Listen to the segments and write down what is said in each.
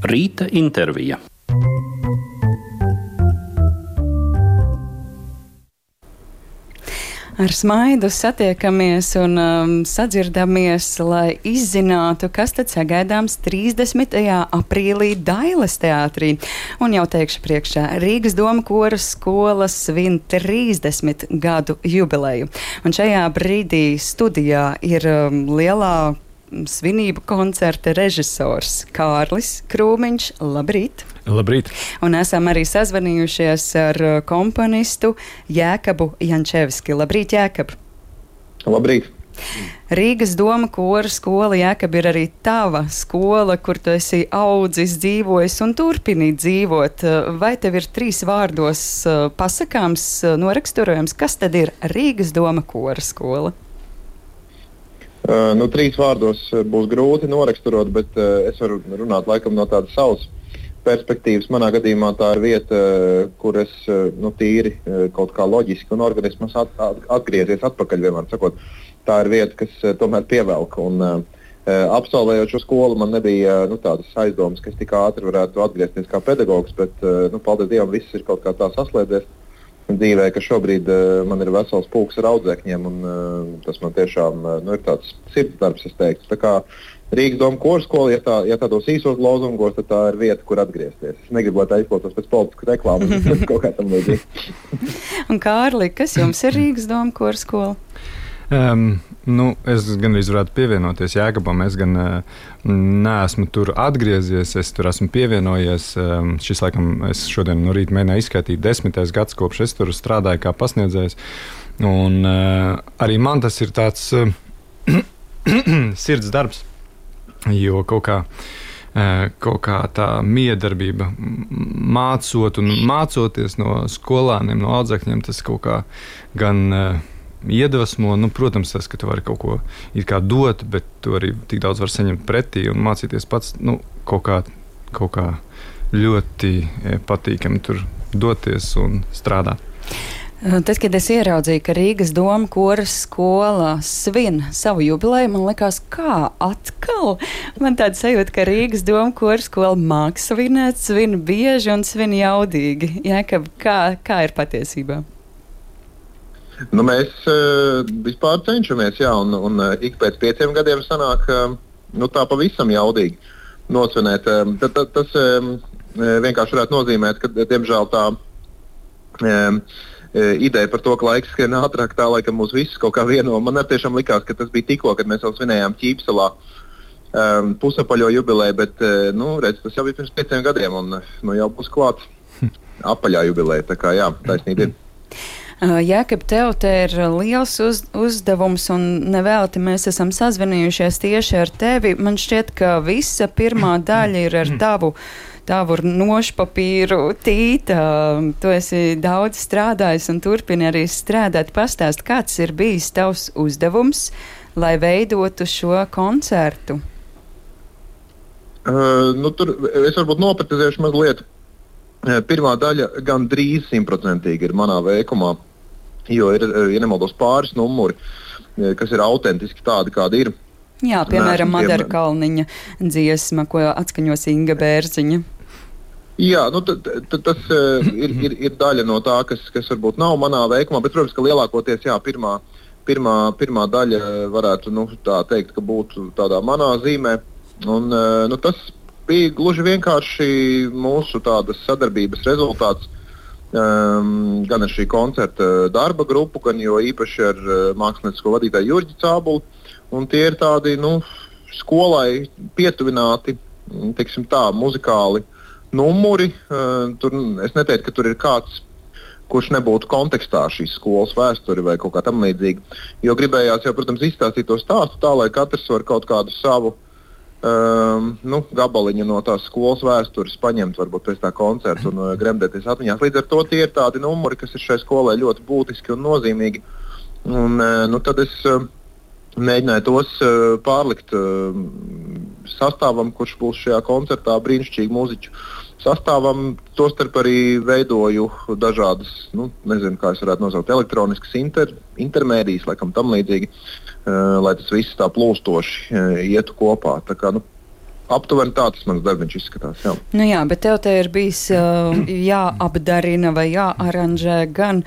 Rīta intervija. Ar smaidu satiekamies un sadzirdamies, lai izzinātu, kas tad sagaidāms 30. aprīlī Dailes teātrī. Un jau teikšu priekšā, Rīgas Doma koras skola svin 30 gadu jubileju. Un šajā brīdī studijā ir lielā svinību koncerta režisors Kārlis Krūmiņš. Labrīt! Labrīt! Un esam arī sazvanījušies ar komponistu Jēkabu Jančevski. Labrīt, Jēkab! Labrīt! Rīgas Doma koras skola, Jēkab, ir arī tava skola, kur tu esi audzis, dzīvojis un turpini dzīvot. Vai tev ir 3 vārdos pasakāms, noraksturojams, kas tad ir Rīgas Doma koras skola? 3 vārdos būs grūti noraksturot, bet es varu runāt laikam no tādas savas perspektīvas. Manā gadījumā tā ir vieta, kur es tīri kaut kā loģiski un organismas atgriezies atpakaļ, vienmēr sakot. Tā ir vieta, kas tomēr pievelk. Un absolvējot šo skolu, man nebija tādas aizdomas, ka es tik ātri varētu atgriezties kā pedagogs, bet paldies Dievam, viss ir kaut kā tā saslēdzies dzīvē, ka šobrīd man ir vesels pulks ar audzēkņiem, un tas man tiešām ir tāds sirdsdarbs, es teiktu. Tā kā Rīgas Doma koras skola, ja tādos īsos lozungos, tad tā ir vieta, kur atgriezties. Es negribu, lai tā izklausās pēc politiskas reklāmas, bet kaut kā tam līdzīgi. Un Kārli, kas jums ir Rīgas Doma koras skola? Es gan varētu pievienoties Jēkabam. Es gan neesmu tur atgriezies, es tur esmu pievienojies. Šis, laikam, es šodien no rīta mēģināju izskaitīt 10. gads, kopš es tur strādāju kā pasniedzējs. Un arī man tas ir tāds sirds darbs, jo kaut kā tā miedarbība mācot un mācoties no skolāniem, no audzēkņiem, tas kaut kā gan iedvesmo. Protams, tas, ka tu vari kaut ko it kā dot, bet tu arī tik daudz var saņemt pretī un mācīties pats, kaut kā ļoti patīkami tur doties un strādāt. Tad, kad es ieraudzīju, ka Rīgas Doma koras skola svin savu jubileju, man likās, kā atkal? Man tāda sajūta, ka Rīgas Doma koras skola māk svinēt, svin bieži un svin jaudīgi. Jēkab, kā ir patiesībā? Mēs vispār cenšamies, jā, un ik pēc 5 gadiem sanāk tā pavisam jaudīgi nosvinēt. Tas vienkārši varētu nozīmēt, ka, diemžēl, tā ideja par to, ka laiks skrien ātrāk, tā laikam mūs visus kaut kā vieno. Man tiešām likās, ka tas bija tikko, kad mēs jau svinējām Ķīpsalā pusapaļo jubileju, bet redz, tas jau bija pirms 5 gadiem, un jau būs klāt apaļā jubileja. Tā kā jā, taisnība ir. Jēkab, tev te ir liels uzdevums, un nevelti mēs esam sazvanījušies tieši ar tevi. Man šķiet, ka visa pirmā daļa ir ar tavu nošpapīru tīta. Tu esi daudz strādājis un turpini arī strādāt. Pastāst, kāds ir bijis tavs uzdevums, lai veidotu šo koncertu? Tur es varbūt noprecizēšu mazliet. Pirmā daļa gan drīz 100% ir manā veikumā, jo ir, ja nemaldos, pāris numuri, kas ir autentiski tādi, kādi ir. Jā, piemēram, Madara Kalniņa dziesma, ko atskaņos Inga Bērziņa. Jā, tas ir daļa no tā, kas varbūt nav manā veikumā, bet, protams, ka lielākoties, jā, pirmā daļa varētu, tā teikt, ka būtu tādā manā zīmē, un tas bija gluži vienkārši mūsu tādas sadarbības rezultāts gan ar šī koncerta darba grupu, gan jo īpaši ar māksliniecisko vadītāju Jurģi Cābuli. Un tie ir tādi skolai pietuvināti, teiksim tā, muzikāli numuri. Es neteiktu, ka tur ir kāds, kurš nebūtu kontekstā šīs skolas vēsturi vai kaut kā tam līdzīgi. Jo gribējās jau, protams, izstāstīt to stāstu tā, lai katrs var kaut kādu savu gabaliņu no tās skolas vēstures paņemt varbūt pēc tā koncerta un gremdēties atmiņās. Līdz ar to tie ir tādi numuri, kas ir šai skolai ļoti būtiski un nozīmīgi. Un tad es mēģināju tos pārlikt sastāvam, kurš būs šajā koncertā, brīnišķīgi mūziķu sastāvam. Tostarp arī veidoju dažādas, nezinu, kā es varētu nosaukt, elektroniskas intermēdijas, laikam tam līdzīgi, lai tas viss tā plūstoši ietu kopā. Tā kā, aptuveni tā tas mans darbiņš izskatās. Jā. Nu jā, bet tev te ir bijis jāapdarina vai jāaranžē gan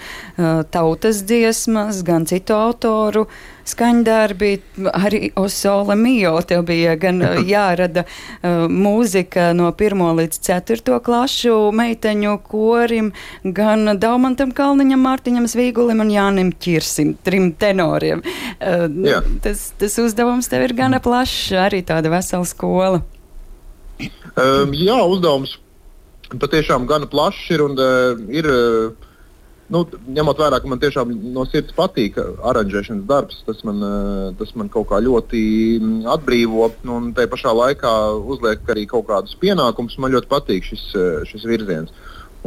tautas dziesmas, gan citu autoru skaņdarbi, arī O Sole Mio. Tev bija gan jārada mūzika no 1. līdz 4. klašu meiteņu korim, gan Daumantam Kalniņam, Mārtiņam Zvīgulim un Jānim Ķirsim, 3 tenoriem. Tas uzdevums tev ir gana plašs, arī tāda vesela skola. Jā, uzdevums patiešām gana plašs ir un ņemot vērā, ka man tiešām no sirds patīk aranžēšanas darbs, tas man kaut kā ļoti atbrīvo un tajā pašā laikā uzliek arī kaut kādus pienākumus. Man ļoti patīk šis virziens.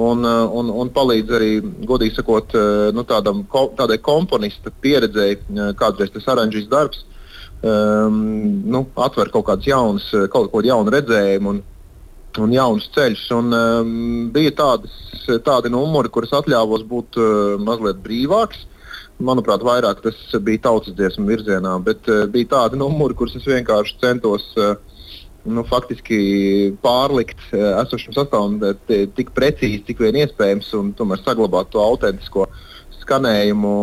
Un palīdz arī, godīgi sakot, tādai komponista pieredzei, kādreiz tas aranžīs darbs, atver kaut kādas jaunu redzējumu un jaunus ceļus. Bija tādi numuri, kuras atļāvos būt mazliet brīvāks. Manuprāt, vairāk tas bija tautas dziesmu virzienā, bet bija tādi numuri, kurus es vienkārši centos faktiski pārlikt esošam sastāvam tik precīzi, cik vien iespējams, un tomēr saglabāt to autentisko skanējumu.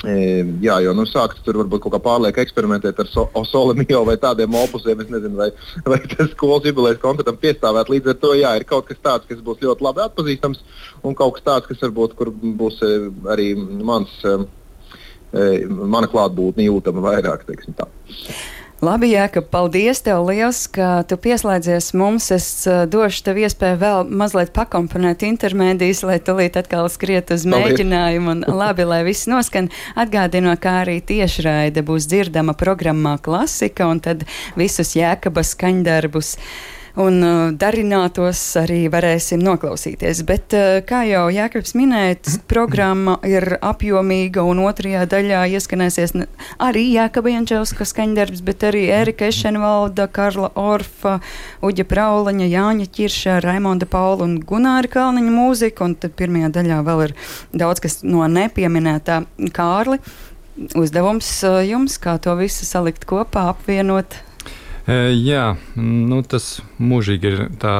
Jā, jo sākt tur varbūt kaut kā pārliek eksperimentēt ar O Sole Mio vai tādiem opusiem, es nezinu, vai tas skolas jubilejas koncertam piestāvēt. Līdz ar to, ir kaut kas tāds, kas būs ļoti labi atpazīstams, un kaut kas tāds, kas varbūt, kur būs arī mana klātbūtne jūtama vairāk, teiksim tā. Labi, Jākab, paldies tev liels, ka tu pieslēdzies mums. Es došu tev iespēju vēl mazliet pakomponēt intermēdijas, lai tulīt atkal skriet uz mēģinājumu. Un labi, lai viss noskan. Atgādinu, kā arī tiešraide būs dzirdama programmā Klasika, un tad visus Jākaba skaņdarbus un darinātos arī varēsim noklausīties. Bet, kā jau Jākabs minēja, programma ir apjomīga, un 2. daļā ieskanēsies arī Jākaba Jančevska skaņdarbs, bet arī Ērika Ešenvalda, Karla Orfa, Uģa Praulaņa, Jāņa Ķirša, Raimonda Paula un Gunāra Kalniņa mūzika, un tad 1. daļā vēl ir daudz kas no nepieminētā. Kārli, uzdevums jums, kā to visu salikt kopā, apvienot? Jā, tas mūžīgi ir tā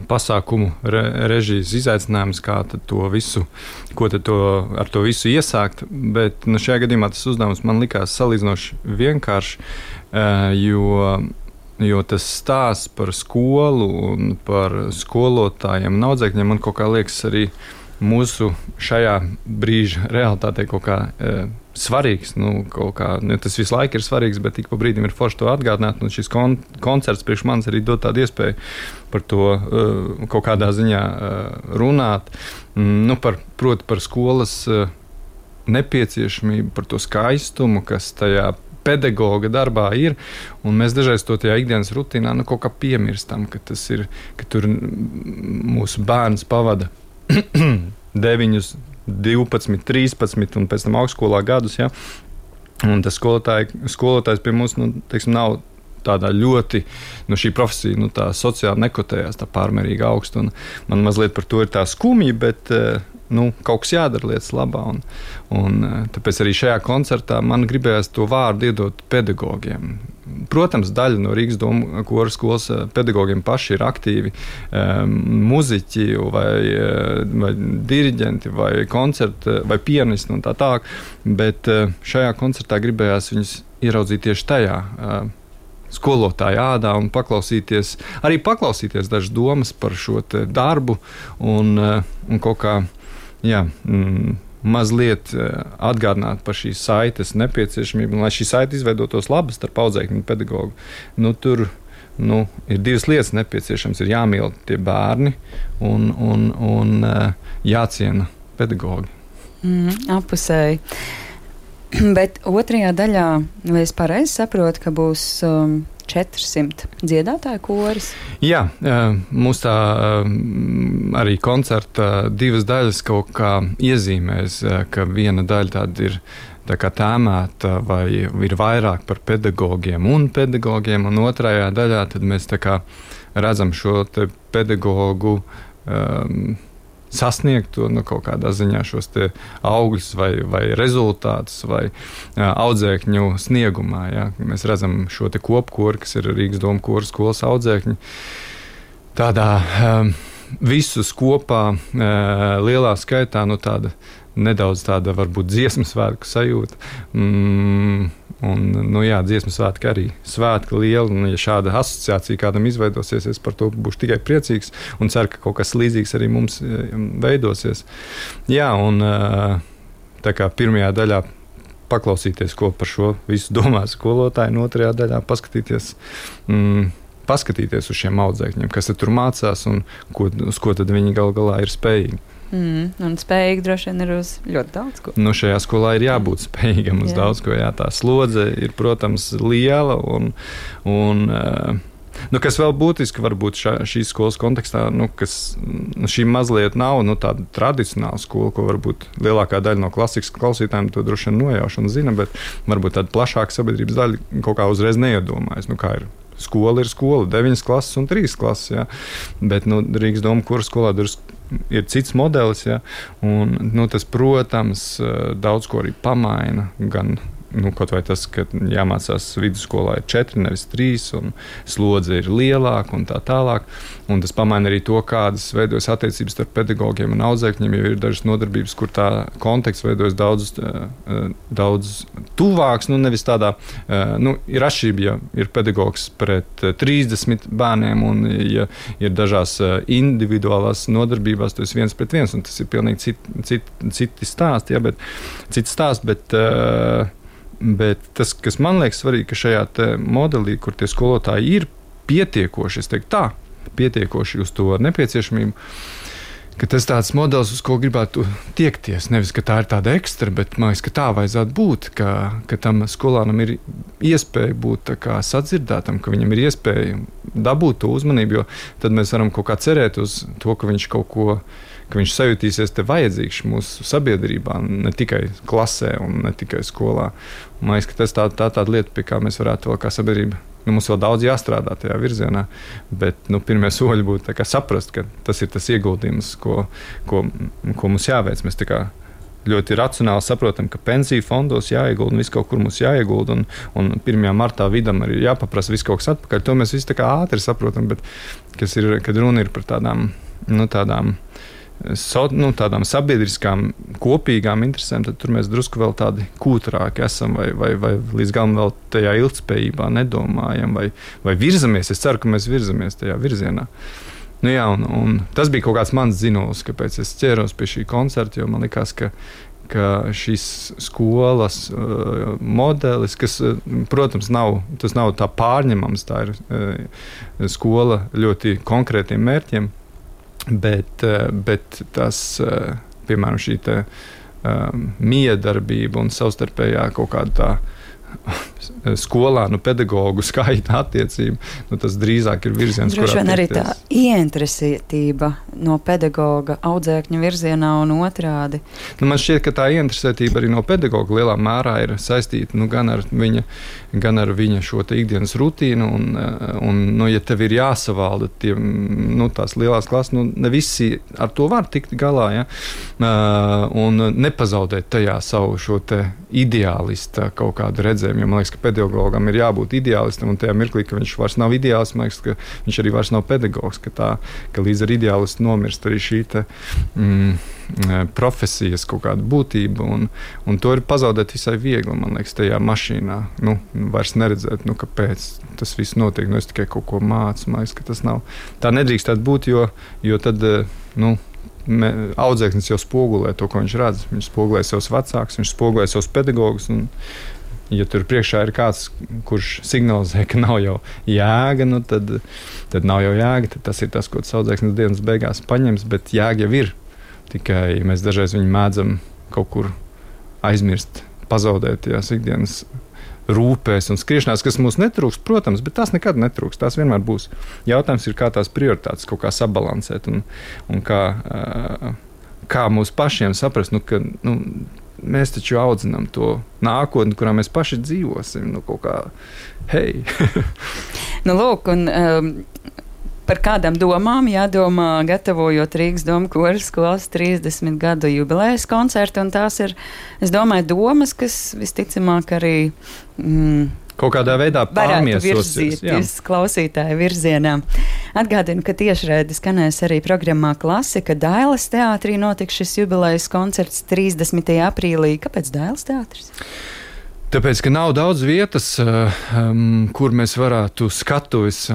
pasākumu režijas izaicinājums, kā tad to visu, ar to visu iesākt, bet šajā gadījumā tas uzdevums man likās salīdzinoši vienkārši, jo tas stāsts par skolu un par skolotājiem un audzēkņiem man kaut kā liekas arī mūsu šajā brīža realitātei kaut kā svarīgs. Tas visu laiku ir svarīgs, bet tik pa brīdim ir forši to atgādināt. Un šis koncerts priekš manis arī dod tādu iespēju par to kaut kādā ziņā runāt. Proti par skolas nepieciešamību, par to skaistumu, kas tajā pedagoga darbā ir, un mēs dažreiz to tajā ikdienas rutīnā kaut kā piemirstam, ka tur mūsu bērns pavada 9, 12, 13 un pēc tam augstskolā gadus. Ja? Un tas skolotājs pie mums nav tādā ļoti, šī profesija tā sociāli nekotējās tā pārmērīgi augstu. Man mazliet par to ir tā skumja, bet kaut kas jādara lietas labā. Un tāpēc arī šajā koncertā man gribējās to vārdu iedot pedagogiem. Protams, daļa no Rīgas Doma koru skolas pedagogiem paši ir aktīvi muziķi vai diriģenti vai vai pianisti un tā tālāk, bet šajā koncertā gribējās viņus ieraudzīt tieši tajā skolotāja ādā un paklausīties dažas domas par šo darbu un kaut kā mazliet atgādināt par šīs saites nepieciešamību, un lai šī saite izveidotos labi starp audzēkņu un pedagogu. Tur ir divas lietas nepieciešams. Ir jāmīl tie bērni un jāciena pedagogi. Apusēji. Bet 2. daļā, vai es pareizi saprotu, ka būs 400 dziedātāju koris? Jā, mūs tā arī koncerta 2 daļas kaut kā iezīmēs, ka viena daļa tāda ir tā kā tēmēta vai ir vairāk par pedagogiem, un 2. daļā tad mēs tā kā redzam šo te pedagogu sasniegt to kaut kādā ziņā šos te augļus vai rezultātus vai audzēkņu sniegumā. Ja? Mēs redzam šo te kopkoru, kas ir Rīgas Doma koru skolas audzēkņi. Tādā visus kopā lielā skaitā, tāda nedaudz tāda varbūt dziesmu svētku sajūta. Dziesmu svētki arī svētki lieli, un ja šāda asociācija kādam izveidosies, es par to būšu tikai priecīgs un ceru, ka kaut kas līdzīgs arī mums veidosies. Jā, un tā kā pirmajā daļā paklausīties, ko par šo visu domā skolotāji, un otrajā daļā paskatīties uz šiem audzēkņiem, kas tur mācās un uz ko tad viņi gal galā ir spējīgi. Un spējīgi droši vien ir uz ļoti daudz ko. Šajā skolā ir jābūt spējīgam uz daudz ko. Jā, tā slodze ir, protams, liela kas vēl būtiski varbūt šīs skolas kontekstā, šī mazliet nav tāda tradicionāla skola, ko varbūt lielākā daļa no klasikas klausītājiem to droši vien nojauš un zina, bet varbūt tāda plašāka sabiedrības daļa kaut kā uzreiz neiedomājas, kā ir. Skola ir skola, 9 klases un 3 klases, jā. Bet Rīgas Doma koru skolā ir cits modelis, jā. Un tas, protams, daudz ko arī pamaina, gan kaut vai tas, ka jāmācās vidusskolā ir 4, nevis 3, un slodze ir lielāka un tā tālāk. Un tas pamaina arī to, kādas veidojas attiecības starp pedagogiem un audzēkņiem, jo ir dažas nodarbības, kur tā konteksts veidojas daudz tuvāks, nevis tādā, ir atšķirība, ja ir pedagogs pret 30 bērniem, un ja ir dažās individuālās nodarbībās, tas ir 1 pret 1, un tas ir pilnīgi citi stāsti, ja, cits stāsts, bet tas, kas man liekas svarīgi, ka šajā modelī, kur tie skolotāji ir pietiekoši, es teiktu tā, pietiekoši uz to nepieciešamību, ka tas tāds modelis, uz ko gribētu tiekties. Nevis, ka tā ir tāda ekstra, bet man liekas, ka tā vajadzētu būt, ka tam skolānam ir iespēja būt sadzirdētam, ka viņam ir iespēja dabūt to uzmanību, jo tad mēs varam kaut kā cerēt uz to, ka viņš kaut ko, ka viņš sajutīsies te vajadzīgs mūsu sabiedrībā, ne tikai klasē un ne tikai skolā. Man liekas, ka tas tāda lieta, pie kā mēs varētu vēl kā sabiedrība, mums vēl daudz jāstrādā tajā virzienā, bet pirmie soļi būtu saprast, ka tas ir tas ieguldījums, ko mums jāveic. Mēs ļoti racionāli saprotam, ka pensiju fondos jāiegulda un viss kaut kur mums jāiegulda, un 1. martā vidam arī jāpaprasa viss kaut kas atpakaļ. To mēs visi ātri saprotam, bet kad runa ir par tādām sabiedriskām kopīgām interesēm, tad tur mēs drusku vēl tādi kūtrāki esam vai līdz galam vēl tajā ilgtspējībā nedomājam vai virzamies. Es ceru, ka mēs virzamies tajā virzienā. Un tas bija kaut kāds mans zīmols, kāpēc es ķēros pie šī koncerta, jo man likās, ka šīs skolas modelis, kas, protams, nav tā pārņemams, tā ir skola ļoti konkrētiem mērķiem, bet tas, piemēram, šī miedarbība un savstarpējā kaut kāda tā skolānu pedagogu skaita attiecība, tas drīzāk ir virziens, kurā droši vien arī tā ieinteresētība no pedagoga audzēkņa virzienā un otrādi. Man šķiet, ka tā ieinteresētība arī no pedagoga lielā mērā ir saistīta gan ar viņa šo te ikdienas rutīnu, un ja tev ir jāsavalda tās lielās klases, ne visi ar to var tikt galā, ja? Un nepazaudēt tajā savu šo te ideālista kaut kādu redzējumu, jo man liekas, ka pedagogam ir jābūt ideālistam, un tajā mirklī, ka viņš vairs nav ideālists, man liekas, ka viņš arī vairs nav pedagogs, ka līdz ar ideālistu nomirst arī šī profesijas kaut kāda būtība, un to ir pazaudēt visai viegli, man liekas, tajā mašīnā, vairs neredzēt, kāpēc tas viss notiek, es tikai kaut ko mācu, man liekas, ka tas nav. Tā nedrīkstētu būt, jo tad, audzēknis jau spogulē to, ko viņš redz. Viņš spogulē savus vecākus, viņš spogulē savus pedagogus. Un, ja tur priekšā ir kāds, kurš signalizē, ka nav jau jēga, tad nav jau jēga. Tad tas ir tas, ko tas audzēknis dienas beigās paņems, bet jēga jau ir. Tikai mēs dažreiz viņu mēdzam kaut kur aizmirst, pazaudēt tajās ikdienas rūpēs un skriešanās, kas mums netrūks, protams, bet tās nekad netrūks. Tās vienmēr būs. Jautājums ir, kā tās prioritātes kaut kā sabalansēt un kā mūs pašiem saprast, ka mēs taču audzinām to nākotni, kurā mēs paši dzīvosim. Kaut kā, hei! Lūk, un Par kādām domām jādomā, gatavojot Rīgas Doma koru skolas 30 gadu jubilejas koncertu, un tās ir, es domāju, domas, kas visticamāk arī kaut kādā veidā virzīties klausītāju virzienā. Atgādinu, ka tiešraidi skanēs arī programmā Klasika. Dailes teātrī notiks šis jubilejas koncerts 30. aprīlī. Kāpēc Dailes teātris? Tāpēc, ka nav daudz vietas, kur mēs varētu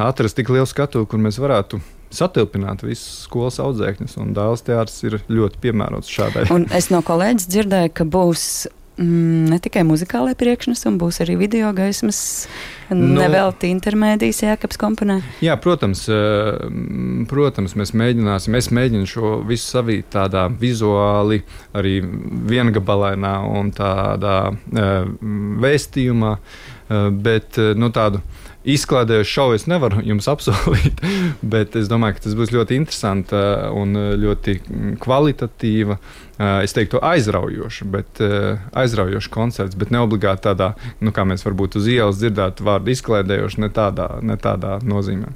atrast tik lielu skatuvi, kur mēs varētu satilpināt visus skolas audzēkņus, un Dailes teātris ir ļoti piemērots šādai. Un es no kolēģis dzirdēju, ka būs ne tikai muzikālai priekšnesumi, būs arī video gaismas, nevelti intermēdijas Jākaps komponē. Jā, protams, mēs mēģināsim. Es mēģinu šo visu savīt tādā vizuāli, arī viengabalainā un tādā vēstījumā, bet tādu izklaidējušu šovu es nevaru jums apsolīt, bet es domāju, ka tas būs ļoti interesanti un ļoti kvalitatīva, es teiktu aizraujoša koncerts, bet neobligāti tādā, kā mēs varbūt uz ielas dzirdētu vārdu izklaidējoši, ne tādā nozīmē.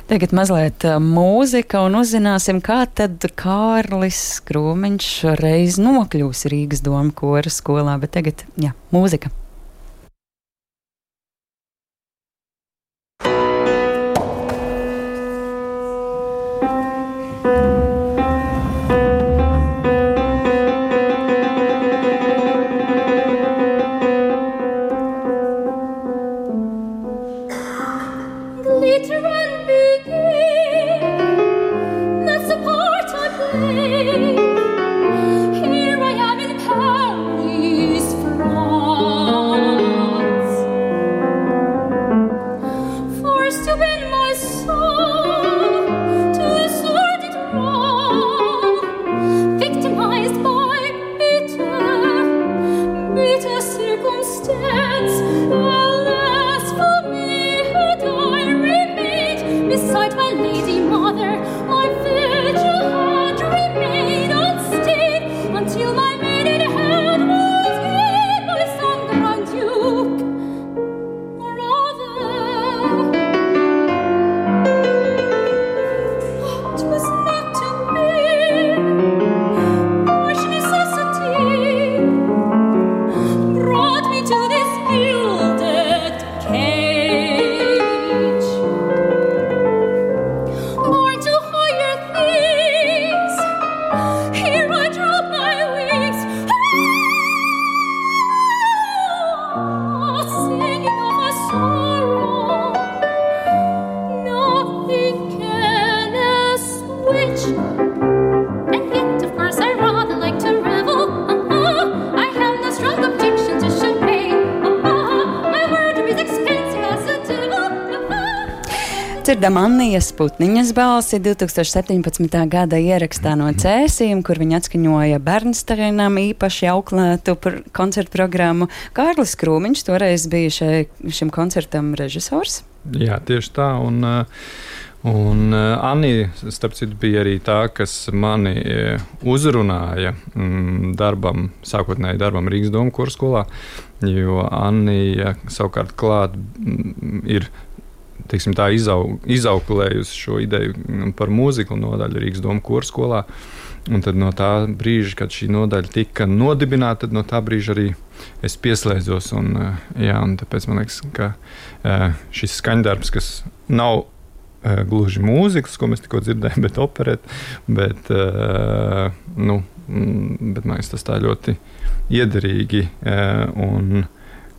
Tagad mazliet mūzika un uzzināsim, kā tad Kārlis Krūmiņš reiz nokļūs Rīgas Doma kora skolā, bet tagad, mūzika. Dzirdam Annijas Putniņas balsi 2017. gada ierakstā no Cēsīm, kur viņa atskaņoja Bernsteinam īpaši auklētu koncertu programmu. Kārlis Krūmiņš toreiz bija šim koncertam režisors. Jā, tieši tā. Un Annija, starp citu, bija arī tā, kas mani uzrunāja sākotnēji darbam Rīgas Doma kora skolā, jo Annija savukārt klāt ir teiksim, tā izauklējusi šo ideju par mūziklu nodaļu Rīgas Doma kora skolā. Un tad no tā brīža, kad šī nodaļa tika nodibināta, tad no tā brīža arī es pieslēdzos. Un tāpēc man liekas, ka šis skaņdarbs, kas nav gluži mūzikas, ko mēs tikko dzirdējām, bet operēt, bet man liekas, tas tā ļoti iederīgi un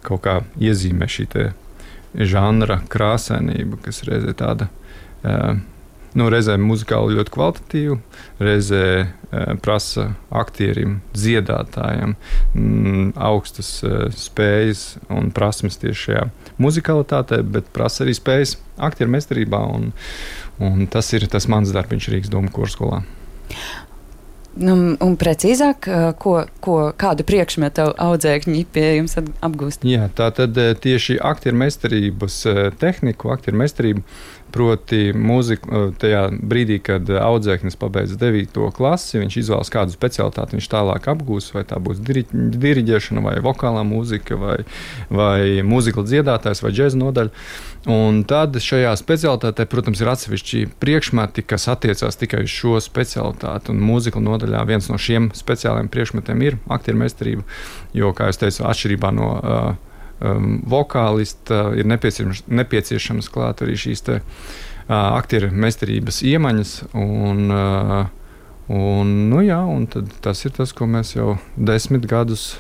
kaut kā iezīmē šī te žanra krāsainība, kas reizē tāda, reizē muzikāli ļoti kvalitatīva, reizē prasa aktierim, dziedātājam augstas spējas un prasmes tieši šajā muzikalitātē, bet prasa arī spējas aktieru meistarībā, un tas ir tas mans darbiņš Rīgas Doma kora skolā. Un precīzāk, kādu priekšmetu audzēkņi pie jums apgūst? Jā, tā tad tieši aktiermeistarības tehniku, aktiermeistarību, proti mūziku tajā brīdī, kad audzēknis pabeidz 9. klasi, viņš izvēlas kādu specialitāti, viņš tālāk apgūs, vai tā būs diriģēšana, vai vokālā mūzika, vai mūzikla dziedātājs, vai džeza nodaļa. Un tad šajā specialitātē, protams, ir atsevišķi priekšmeti, kas attiecās tikai uz šo specialitāti. Un mūzikla nodaļā viens no šiem speciāliem priekšmetiem ir aktiermeistarība, jo, kā es teicu, atšķirībā no vokālista ir nepieciešams klāt arī šīs aktiermeistarības iemaņas. Un tas ir tas, ko mēs jau 10 gadus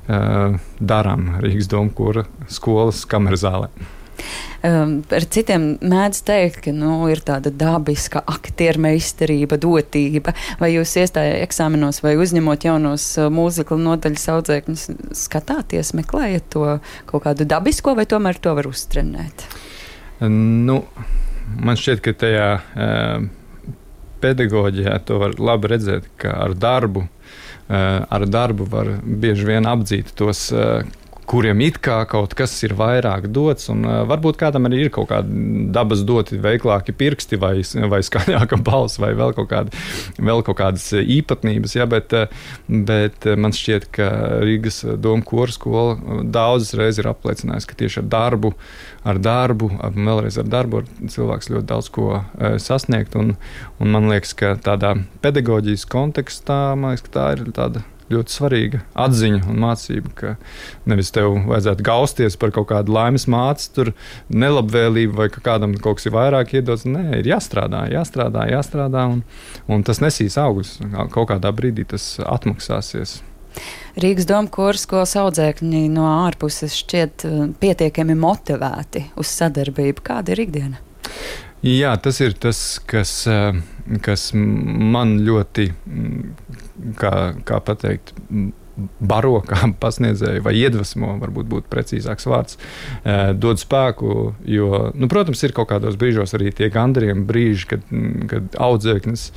darām Rīgas Doma kora skolas kamerzālē. Par citiem mēdz teikt, ka ir tāda dabiska aktiermeistarība, dotība. Vai jūs iestājat eksāmenos vai uzņemot jaunos mūzikla nodaļas audzēkņus, skatāties, meklējat to kaut kādu dabisko, vai tomēr to var uztrenēt? Man šķiet, ka tajā pedagoģijā to var labi redzēt, ka ar darbu var bieži vien apdzīt tos, kuriem it kā kaut kas ir vairāk dots, un varbūt kādam arī ir kaut kāda dabas doti, veiklāki pirksti vai skaļāka balss vai vēl kaut kādas īpatnības, ja, bet man šķiet, ka Rīgas Doma kora skola daudzas reizes ir apliecinājusi, ka tieši ar darbu cilvēks ļoti daudz ko sasniegt, un man liekas, ka tādā pedagoģijas kontekstā, man liekas, ka tā ir tāda ļoti svarīga atziņa un mācība, ka nevis tev vajadzētu gausties par kaut kādu laimes māci, tur nelabvēlību vai ka kādam kaut kas ir vairāk iedots. Nē, ir jāstrādā, un tas nesīs augļus. Kaut kādā brīdī tas atmaksāsies. Rīgas Doma kora skolas audzēkņi no ārpuses šķiet pietiekami motivēti uz sadarbību. Kāda ir ikdiena? Jā, tas ir tas, kas man ļoti, kā pateikt, baro kā pasniedzēju vai iedvesmo, varbūt būtu precīzāks vārds, dod spēku, jo, protams, ir kaut kādos brīžos arī tie gandarījumi brīži, kad audzēknis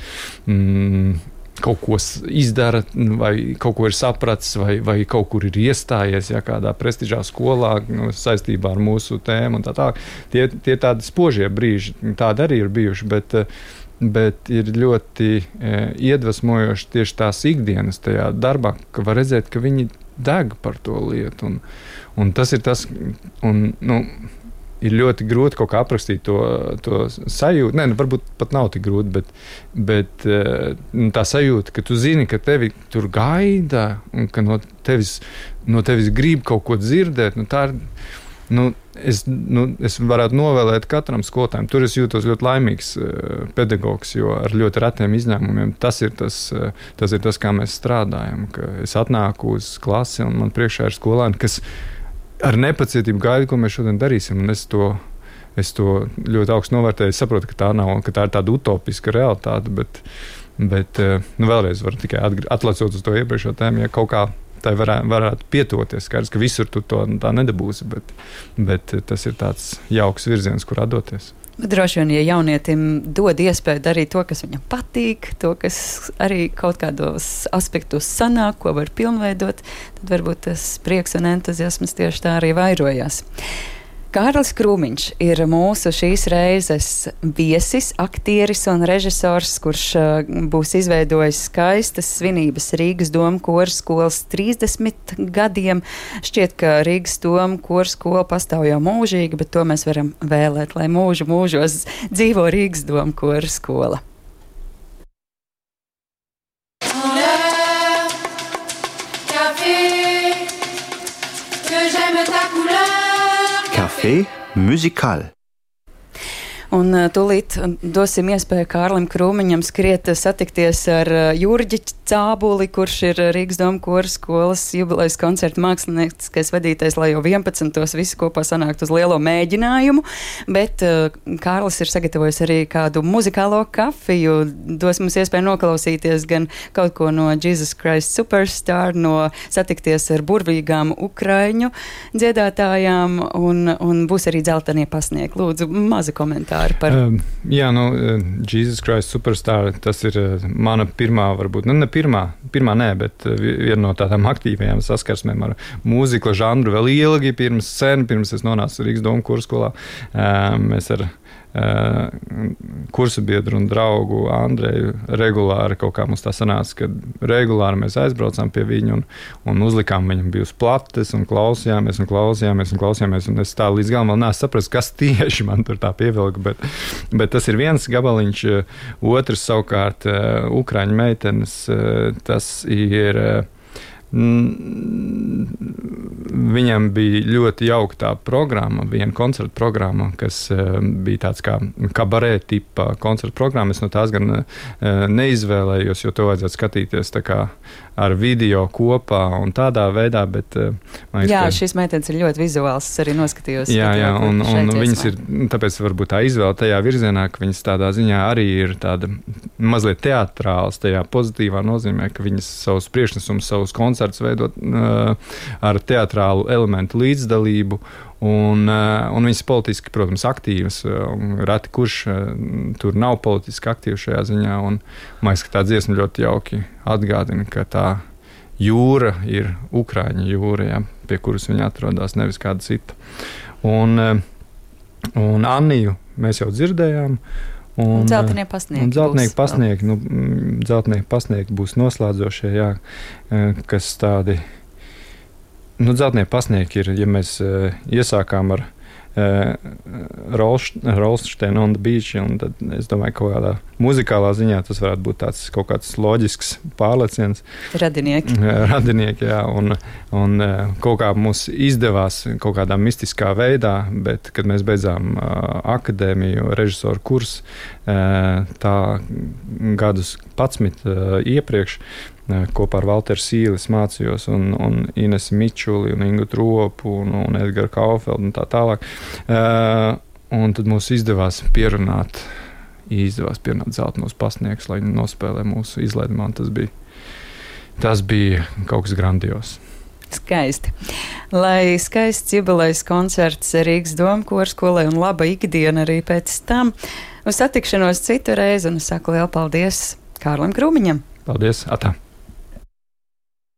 kaut ko izdara, vai kaut ko ir sapratis, vai kaut kur ir iestājies, ja kādā prestižā skolā saistībā ar mūsu tēmu un tā tālāk. Tie tādi spožie brīži, tādi arī ir bijuši, bet ir ļoti iedvesmojoši tieši tās ikdienas tajā darbā, ka var redzēt, ka viņi deg par to lietu. Un tas ir tas, ir ļoti grūti kaut kā aprakstīt to sajūtu. Nē, varbūt pat nav tik grūti, bet tā sajūta, ka tu zini, ka tevi tur gaida un ka no tevis grib kaut ko dzirdēt, tā ir. Es varētu novēlēt katram skolotājam. Tur es jūtos ļoti laimīgs pedagogs, jo ar ļoti retiem izņēmumiem tas ir tas, kā mēs strādājam. Ka es atnāku uz klasi un man priekšā ir skolēni, kas ar nepacietību gaida, ko mēs šodien darīsim. Un es to ļoti augstu novērtēju. Es saprotu, ka tā ir tāda utopiska realitāte, bet vēlreiz varu tikai atlecot uz to iepriekšējo tēmu, ja kaut kā tai varētu pietoties. Skaidrs, ka visur tu to tā nedabūsi, bet tas ir tāds jauks virziens, kurā doties. Droši vien, ja jaunietim dod iespēju darīt to, kas viņam patīk, to, kas arī kaut kādos aspektos sanāk, ko var pilnveidot, tad varbūt tas prieks un entuziasms tieši tā arī vairojās. Kārlis Krūmiņš ir mūsu šīs reizes viesis, aktieris un režisors, kurš būs izveidojis skaistas svinības Rīgas Doma kora skolas 30 gadiem. Šķiet, ka Rīgas Doma kora skola pastāv jau mūžīgi, bet to mēs varam vēlēt, lai mūžos dzīvo Rīgas Doma kora skola. Café musical. Un tūlīt dosim iespēju Kārlim Krūmiņam skriet satikties ar Jurģi Cābuli, kurš ir Rīgas Doma kora skolas jubilejas koncerta mākslinieckais vadītājs, lai jau 11. visi kopā sanākt uz lielo mēģinājumu. Bet Kārlis ir sagatavojis arī kādu muzikālo kafiju, dos mums iespēju noklausīties gan kaut ko no Jesus Christ Superstar, no satikties ar burvīgām ukraiņu dziedātājām, un būs arī dzeltenie pasniegi. Lūdzu, maza komentāra komentāri par? Jā, Jesus Christ Superstar, tas ir mana pirmā, varbūt, ne pirmā nē, bet viena no tādām aktīvajām saskarsmēm ar mūzikla žanru vēl ilgi pirms es nonācu Rīgas Domu kurskolā. Mēs ar kursu biedru un draugu Andreju regulāri kaut kā mums tā sanāca, ka regulāri mēs aizbraucām pie viņu un uzlikām viņam bijus plates un klausījāmies, un es tā līdz galam vēl neesmu saprast, kas tieši man tur tā pievilka, bet tas ir viens gabaliņš, otrs savukārt Ukraiņu meitenes, tas ir viņam bija ļoti jauka tā programma, viena koncerta programma, kas bija tāds kā kabarē tipa koncerta programma. Es no tās gan neizvēlējos, jo to vajadzētu skatīties tā kā ar video kopā un tādā veidā, bet liekas, jā, šīs meitenes ir ļoti vizuāls, es arī noskatījos. Jā, un viņas ir, tāpēc varbūt tā izvēle tajā virzienā, ka viņas tādā ziņā arī ir tāda mazliet teatrāls, tajā pozitīvā nozīmē, ka viņas savus priekšnesumus, savus koncertus veidot ar teatrālu elementu līdzdalību, un viņas politiski, protams, aktīvas, reti kurš tur nav politiski aktīvs šajā ziņā, un man liekas, ka tā dziesma ļoti jauki atgādina, ka tā jūra ir Ukraiņu jūra, ja, pie kuras viņa atrodas, nevis kāda cita. Un Anniju mēs jau dzirdējām, un Dzeltenie pasniegi. Dzeltenie pasniegi būs noslēdzošie, jā, kas tādi. Dzeltenie pasniegi ir, ja mēs iesākām ar Rolsteinu on the Beach, un tad es domāju, ka kaut kādā muzikālā ziņā tas varētu būt tāds kaut kāds loģisks pārlieciens. Radinieki, jā, un kaut kā mums izdevās kaut kādā mistiskā veidā, bet, kad mēs beidzām akadēmiju, režisoru kursu, tā gadus 11 iepriekš, kopā ar Valteru Sīlis mācījos un Inesu Mičuli un Ingu Tropu un Edgaru Kaufeldu un tā tālāk. Un tad mums izdevās pierunāt Dzeltenos pasniegus, lai viņi nospēlē mūsu izlaidumā. Tas bija kaut kas grandios. Skaisti. Lai skaists jubilejas koncerts Rīgas Domu korskolē un laba ikdiena arī pēc tam. Uz satikšanos citu reizi un es saku lielu paldies Kārlim Krūmiņam. Paldies, atā!